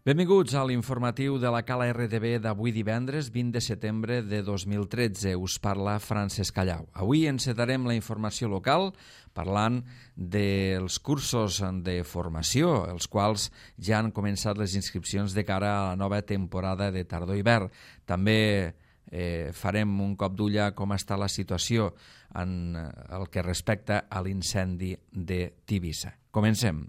Benvinguts a l'informatiu de la Cala RTB d'avui divendres 20 de setembre de 2013. Us parla Francesc Callau. Avui encetarem la informació local parlant dels cursos de formació, els quals ja han començat les inscripcions de cara a la nova temporada de tardor-hivern. També farem un cop d'ull a com està la situació en el que respecta a l'incendi de Tivissa. Comencem.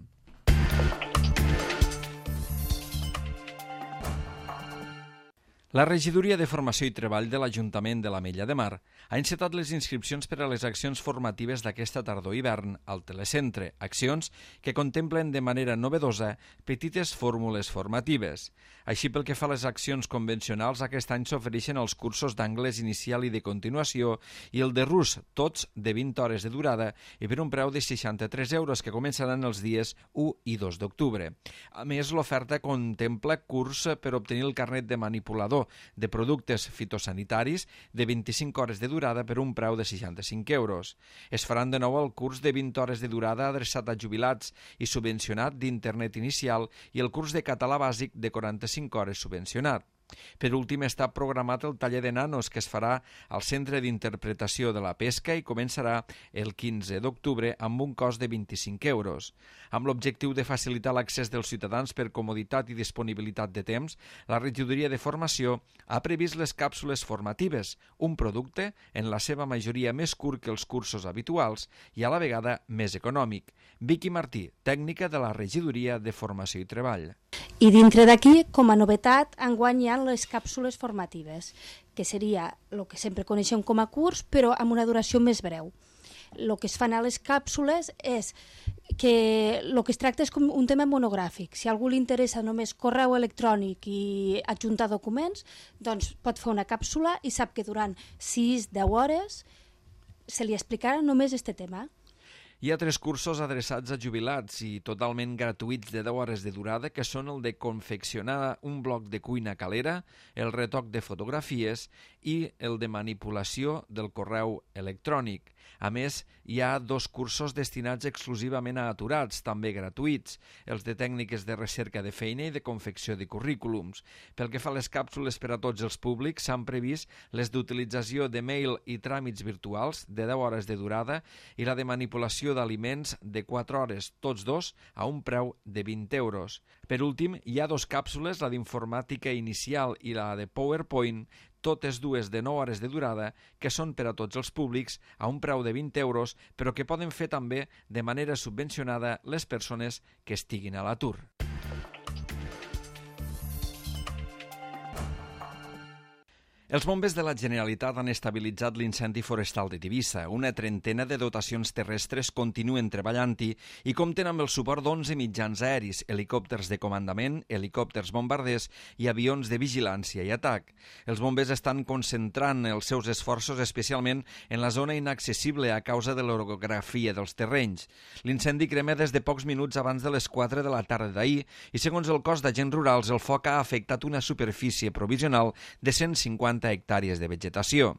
La Regidoria de Formació i Treball de l'Ajuntament de l'Ametlla de Mar ha encetat les inscripcions per a les accions formatives d'aquesta tardor-hivern al Telecentre, accions que contemplen de manera novedosa petites fórmules formatives. Així, pel que fa a les accions convencionals, aquest any s'ofereixen els cursos d'anglès inicial i de continuació i el de rus, tots de 20 hores de durada i per un preu de 63 euros que començaran els dies 1 i 2 d'octubre. A més, l'oferta contempla curs per obtenir el carnet de manipulador de productes fitosanitaris de 25 hores de durada per un preu de 65 euros. Es faran de nou el curs de 20 hores de durada adreçat a jubilats i subvencionat d'internet inicial i el curs de català bàsic de 45 hores subvencionat. Per últim, està programat el taller de nanos que es farà al Centre d'Interpretació de la Pesca i començarà el 15 d'octubre amb un cost de 25 euros. Amb l'objectiu de facilitar l'accés dels ciutadans per comoditat i disponibilitat de temps, la Regidoria de Formació ha previst les càpsules formatives, un producte en la seva majoria més curt que els cursos habituals i a la vegada més econòmic. Vicky Martí, tècnica de la Regidoria de Formació i Treball. I dintre d'aquí, com a novetat, enguany hi ha les càpsules formatives, que seria el que sempre coneixem com a curs, però amb una duració més breu. El que es fan a les càpsules és que el que es tracta és com un tema monogràfic. Si a algú li interessa només correu electrònic i adjuntar documents, doncs pot fer una càpsula i sap que durant 6-10 hores se li explicarà només aquest tema. Hi ha 3 cursos adreçats a jubilats i totalment gratuïts de 10 hores de durada, que són el de confeccionar un bloc de cuina calera, el retoc de fotografies i el de manipulació del correu electrònic. A més, hi ha 2 cursos destinats exclusivament a aturats, també gratuïts, els de tècniques de recerca de feina i de confecció de currículums. Pel que fa a les càpsules per a tots els públics, s'han previst les d'utilització de mail i tràmits virtuals de 10 hores de durada i la de manipulació d'aliments de 4 hores, tots dos a un preu de 20 euros. Per últim, hi ha 2 càpsules, la d'informàtica inicial i la de PowerPoint, totes dues de 9 hores de durada, que són per a tots els públics a un preu de 20 euros, però que poden fer també de manera subvencionada les persones que estiguin a l'atur. Els bombers de la Generalitat han estabilitzat l'incendi forestal de Tivissa. Una trentena de dotacions terrestres continuen treballant-hi i compten amb el suport d'11 mitjans aeris, helicòpters de comandament, helicòpters bombarders i avions de vigilància i atac. Els bombers estan concentrant els seus esforços especialment en la zona inaccessible a causa de l'orografia dels terrenys. L'incendi crema des de pocs minuts abans de les 4 de la tarda d'ahir i, segons el cos d'agents rurals, el foc ha afectat una superfície provisional de 150 hectàrees de vegetació.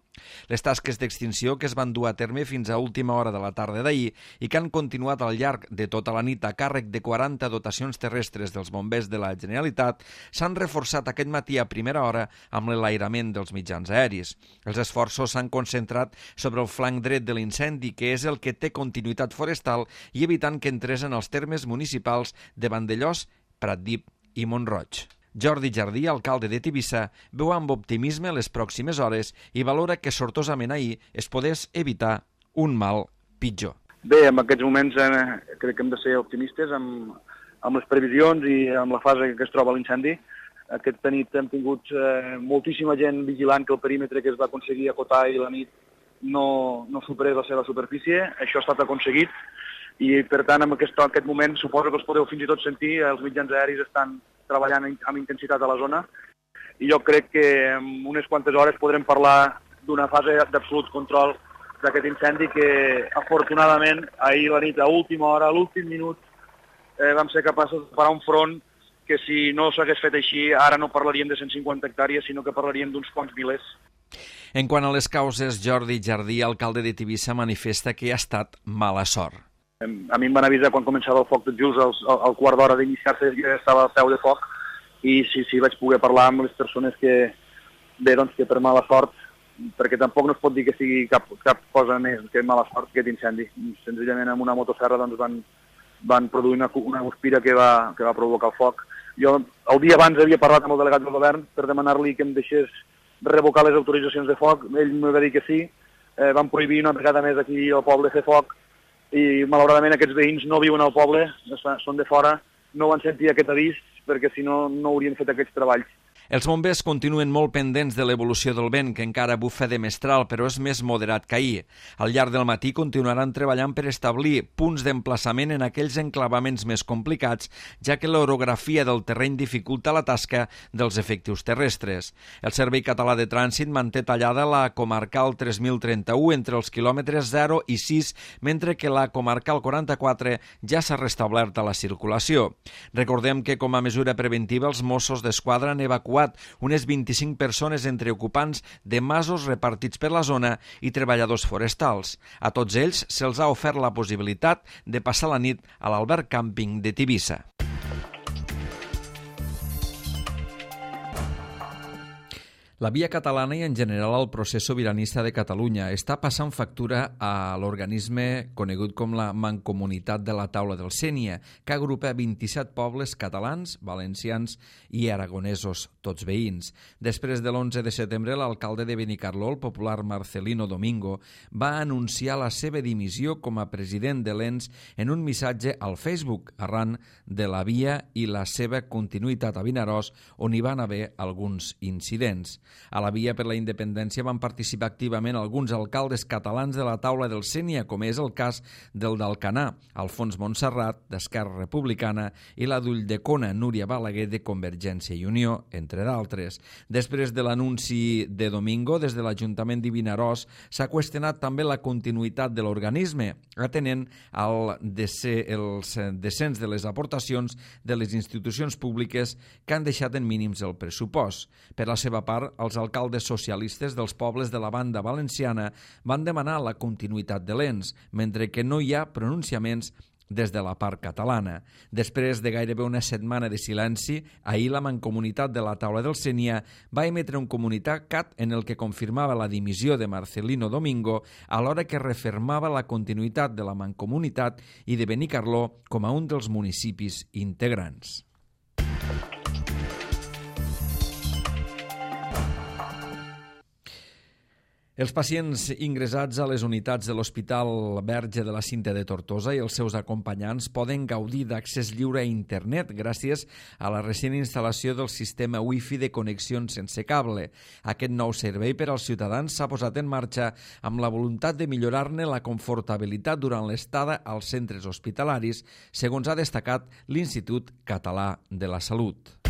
Les tasques d'extinció que es van dur a terme fins a última hora de la tarda d'ahir i que han continuat al llarg de tota la nit a càrrec de 40 dotacions terrestres dels bombers de la Generalitat s'han reforçat aquest matí a primera hora amb l'enlairament dels mitjans aeris. Els esforços s'han concentrat sobre el flanc dret de l'incendi, que és el que té continuïtat forestal, i evitant que entrés en els termes municipals de Vandellòs, Pratdip i Mont-roig. Jordi Jardí, alcalde de Tivissa, veu amb optimisme les pròximes hores i valora que sortosament ahir es podés evitar un mal pitjor. Bé, en aquests moments crec que hem de ser optimistes amb les previsions i amb la fase que es troba l'incendi. Aquesta nit hem tingut moltíssima gent vigilant que el perímetre que es va aconseguir acotar i la nit no superés la seva superfície. Això ha estat aconseguit i, per tant, en aquest moment suposo que els podeu fins i tot sentir, els mitjans aeris estan treballant amb intensitat a la zona i jo crec que en unes quantes hores podrem parlar d'una fase d'absolut control d'aquest incendi que, afortunadament, ahir la nit, a última hora, a l'últim minut, vam ser capaços de parar un front que, si no s'hagués fet així, ara no parlaríem de 150 hectàrees, sinó que parlaríem d'uns quants milers. En quant a les causes, Jordi Jardí, alcalde de Tivissa, manifesta que ha estat mala sort. A mi em van avisar quan començava el foc tot just al quart d'hora d'iniciar-se, ja estava al peu de foc i sí, vaig poder parlar amb les persones que per mala sort, perquè tampoc no es pot dir que sigui cap cosa més que mala sort que aquest incendi. Senzillament amb una motosserra van produir una guspira que va provocar el foc. Jo el dia abans havia parlat amb el delegat del govern per demanar-li que em deixés revocar les autoritzacions de foc. Ell m'ho va dir que sí. Van prohibir una vegada més aquí al poble fer foc i malauradament aquests veïns no viuen al poble, són de fora, no van sentir aquest avís perquè si no haurien fet aquests treballs. Els bombers continuen molt pendents de l'evolució del vent, que encara bufa de mestral, però és més moderat que ahir. Al llarg del matí continuaran treballant per establir punts d'emplaçament en aquells enclavaments més complicats, ja que l'orografia del terreny dificulta la tasca dels efectius terrestres. El Servei Català de Trànsit manté tallada la comarcal 3031 entre els quilòmetres 0 i 6, mentre que la comarcal 44 ja s'ha restablert a la circulació. Recordem que, com a mesura preventiva, els Mossos d'Esquadra han evacuat unes 25 persones entre ocupants de masos repartits per la zona i treballadors forestals. A tots ells se'ls ha ofert la possibilitat de passar la nit a l'Alberg Càmping de Tivissa. La via catalana i en general el procés sobiranista de Catalunya està passant factura a l'organisme conegut com la Mancomunitat de la Taula del Sénia, que agrupa 27 pobles catalans, valencians i aragonesos, tots veïns. Després de l'11 de setembre, l'alcalde de Benicarló, el popular Marcelino Domingo, va anunciar la seva dimissió com a president de l'ENS en un missatge al Facebook, arran de la via i la seva continuïtat a Vinaròs, on hi van haver alguns incidents. A la via per la independència van participar activament alguns alcaldes catalans de la Taula del Sénia, com és el cas del d'Alcanar, Alfons Montserrat, d'Esquerra Republicana, i la d'Ulldecona, Núria Balaguer, de Convergència i Unió, entre d'altres. Després de l'anunci de Domingo, des de l'Ajuntament de Vinaròs s'ha qüestionat també la continuïtat de l'organisme, atenent al descens de les aportacions de les institucions públiques que han deixat en mínims el pressupost. Per la seva part, els alcaldes socialistes dels pobles de la banda valenciana van demanar la continuïtat de l'ENS, mentre que no hi ha pronunciaments des de la part catalana. Després de gairebé una setmana de silenci, ahir la Mancomunitat de la Taula del Sénia va emetre un comunicat en el que confirmava la dimissió de Marcelino Domingo, alhora que refermava la continuïtat de la Mancomunitat i de Benicarló com a un dels municipis integrants. Els pacients ingressats a les unitats de l'Hospital Verge de la Cinta de Tortosa i els seus acompanyants poden gaudir d'accés lliure a internet gràcies a la recent instal·lació del sistema Wi-Fi de connexions sense cable. Aquest nou servei per als ciutadans s'ha posat en marxa amb la voluntat de millorar-ne la confortabilitat durant l'estada als centres hospitalaris, segons ha destacat l'Institut Català de la Salut.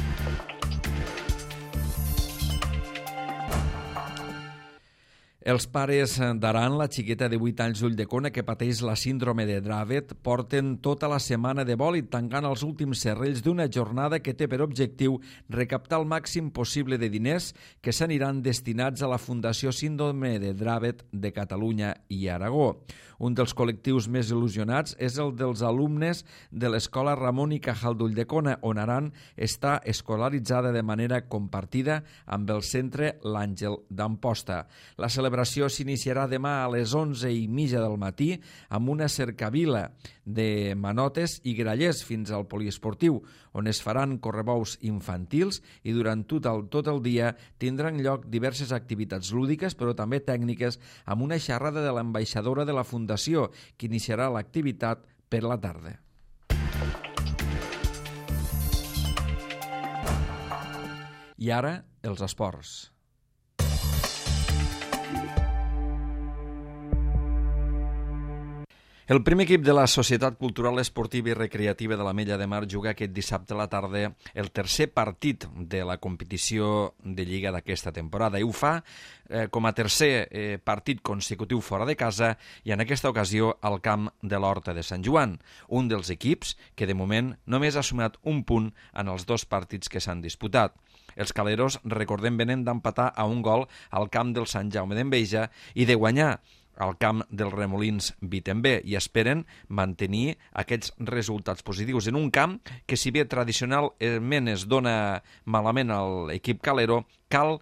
Els pares d'Aran, la xiqueta de 8 anys d'Ulldecona que pateix la síndrome de Dravet, porten tota la setmana de bòlit tancant els últims serrells d'una jornada que té per objectiu recaptar el màxim possible de diners que s'aniran destinats a la Fundació Síndrome de Dravet de Catalunya i Aragó. Un dels col·lectius més il·lusionats és el dels alumnes de l'Escola Ramon i Cajal d'Ulldecona, on Aran està escolaritzada de manera compartida amb el centre L'Àngel d'Amposta. La celebració s'iniciarà demà a les 11:30 del matí amb una cercavila de manotes i grallers fins al poliesportiu, on es faran correbous infantils i durant tot el dia tindran lloc diverses activitats lúdiques però també tècniques, amb una xerrada de l'ambaixadora de la Fundació, que iniciarà l'activitat per la tarda. I ara, els esports. El primer equip de la Societat Cultural Esportiva i Recreativa de l'Ametlla de Mar juga aquest dissabte a la tarda el tercer partit de la competició de Lliga d'aquesta temporada i ho fa com a tercer partit consecutiu fora de casa i en aquesta ocasió al camp de l'Horta de Sant Joan, un dels equips que de moment només ha sumat un punt en els dos partits que s'han disputat. Els caleros, recordem, venen d'empatar a un gol al camp del Sant Jaume d'Enveja i de guanyar al camp dels Remolins Vitembé i esperen mantenir aquests resultats positius en un camp que, si bé tradicionalment es dona malament a l'equip calero, cal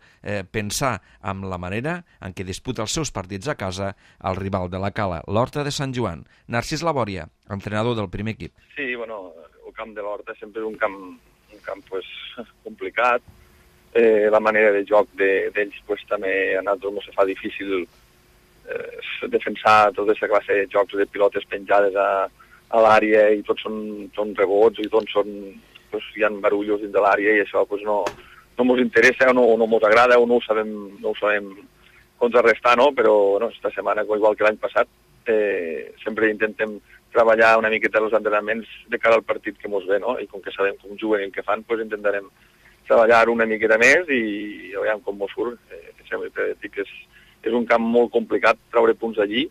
pensar en la manera en què disputa els seus partits a casa al rival de la Cala, l'Horta de Sant Joan. Narcís Labòria, entrenador del primer equip. Sí, bueno, el camp de l'Horta sempre és un camp pues, complicat. La manera de joc d'ells pues, també a nosaltres ens fa difícil defensar tota aquesta classe de jocs de pilotes penjades a l'àrea i tots són rebots i tots pues, hi ha barullos dins de l'àrea i això pues, no ens interessa o no ens agrada o no ho sabem contrarrestar, no? Però bueno, esta setmana, igual que l'any passat, sempre intentem treballar una miqueta els entrenaments de cara al partit que ens ve, no? I com que sabem com juguen i el que fan, pues, intentarem treballar una miqueta més i veiem com ens surt. Sempre dic que és un camp molt complicat treure punts allí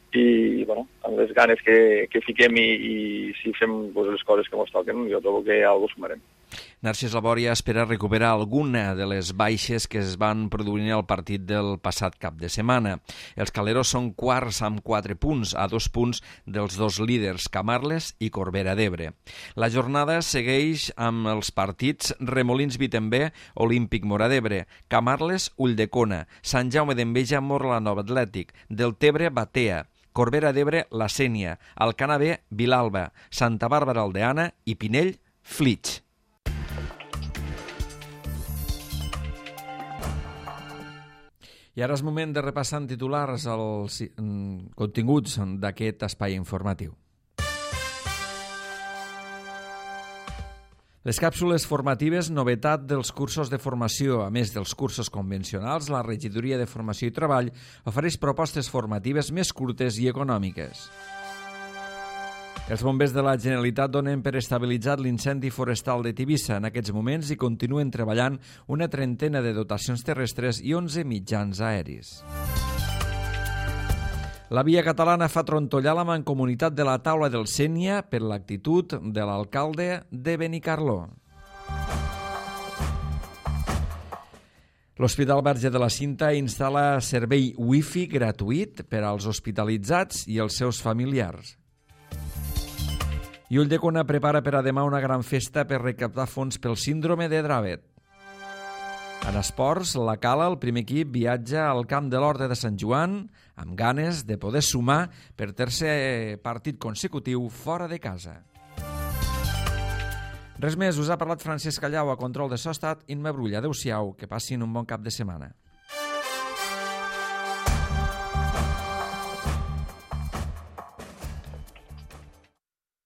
i bueno, amb les ganes que fiquem i si fem pues, les coses que ens toquen, jo trobo que alguna cosa sumarem. Narcís Labòria espera recuperar alguna de les baixes que es van produir al partit del passat cap de setmana. Els caleros són quarts amb 4 punts, a 2 punts dels dos líders, Camarles i Corbera d'Ebre. La jornada segueix amb els partits Remolins Vitembé, Olímpic Móra d'Ebre, Camarles Ulldecona, Sant Jaume d'Enveja Morlanova Atlètic, Deltebre Batea, Corbera d'Ebre La Sénia, Alcanar B Vilalba, Santa Bàrbara Aldeana i Pinell Flix. I ara és moment de repassar en titulars els continguts d'aquest espai informatiu. Les càpsules formatives, novetat dels cursos de formació. A més dels cursos convencionals, la Regidoria de Formació i Treball ofereix propostes formatives més curtes i econòmiques. Els bombers de la Generalitat donen per estabilitzat l'incendi forestal de Tivissa. En aquests moments hi continuen treballant una trentena de dotacions terrestres i 11 mitjans aeris. La Via Catalana fa trontollar la mancomunitat de la taula del Sénia per l'actitud de l'alcalde de Benicarló. L'Hospital Verge de la Cinta instal·la servei Wi-Fi gratuït per als hospitalitzats i els seus familiars. I Ulldecona prepara per a demà una gran festa per recaptar fons pel síndrome de Dravet. En esports, la Cala, el primer equip, viatja al camp de l'Horta de Sant Joan amb ganes de poder sumar per tercer partit consecutiu fora de casa. Res més, us ha parlat Francesc Callau, a control de so ha estat Imma Brull. Adéu-siau, que passin un bon cap de setmana.